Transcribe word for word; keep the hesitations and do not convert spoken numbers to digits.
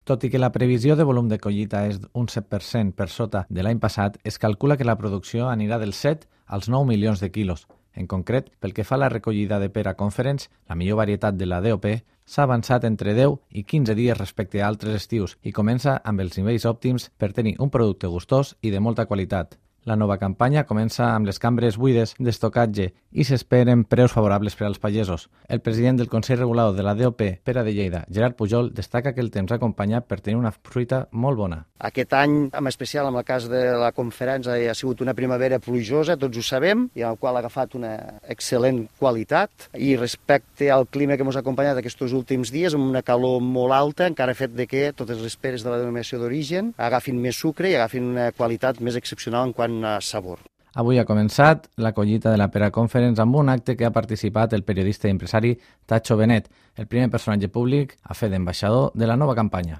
Tot i que la previsió de volum de collita és un set per cent per sota de l'any passat, es calcula que la producció anirà dels set als nou milions de quilos. En concret, pel que fa a la recollida de pera Conference, la millor varietat de la D O P, s'ha avançat entre deu i quinze dies respecte a altres estius i comença amb els nivells òptims per tenir un producte gustós i de molta qualitat. La nova campanya comença amb les cambres buides d'estocatge i s'esperen preus favorables per als pagesos. El president del Consell Regulador de la D O P, Pera de Lleida, Gerard Pujol, destaca que el temps acompanya per tenir una fruita molt bona. Aquest any, en especial en el cas de la conferència, ha sigut una primavera plujosa, tots ho sabem, i en el qual ha agafat una excel·lent qualitat. I respecte al clima que ens ha acompanyat aquests últims dies, amb una calor molt alta, encara ha fet de que totes les peres de la denominació d'origen agafin més sucre i agafin una qualitat més excepcional en quant a sabor. Avui ha començat la collita de la Pera Conference amb un acte que ha participat el periodista i empresari Tacho Benet, el primer personatge públic a fer d'ambaixador de la nova campanya.